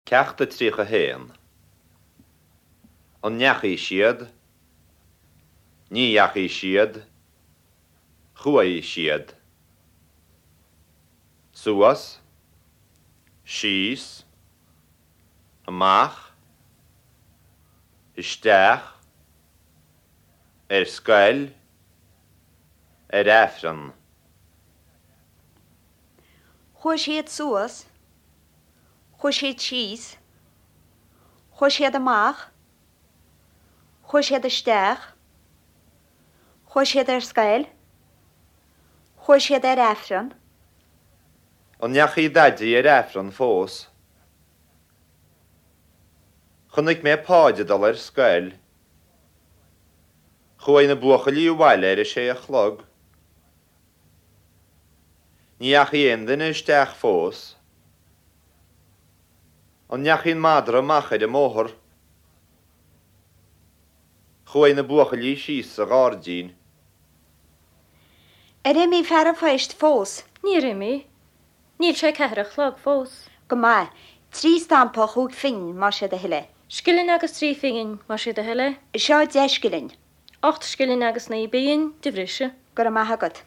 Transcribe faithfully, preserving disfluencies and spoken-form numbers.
Ceacht a tríocha a haon. An ndeachaigh siad? Ní dheachaigh siad. Chuaigh siad. Suas, síos, amach, isteach, ar scoil, ar Aifreann. Chuaigh siad suas, chuaigh siad síos, chuaigh siad amach, chuaigh siad isteach, chuaigh siad ar scoil, chuaigh siad ar Aifreann. An ndeachaigh Daidí ar Aifreann fós? Chonaic mé Páid ag dul ar scoil. Chuaigh na buachaillí abhaile ar a sé a chlog. Ní dheachaigh aon duine isteach fós. An ndeachaigh an madra amach ar an mbóthar? Chuaigh na buachaillí síos sa ghairdín. Ar imigh fear an phoist fós? Níor imigh. Níl sé ceathair a chlog fós. Go maith. Trí stampa chúig phingin, más é do thoil é. Scilling agus trí phingin, más é do thoil é. Seo deich scilling. Ocht scilling agus naoi bpingin de bhriseadh. Go raibh maith agat.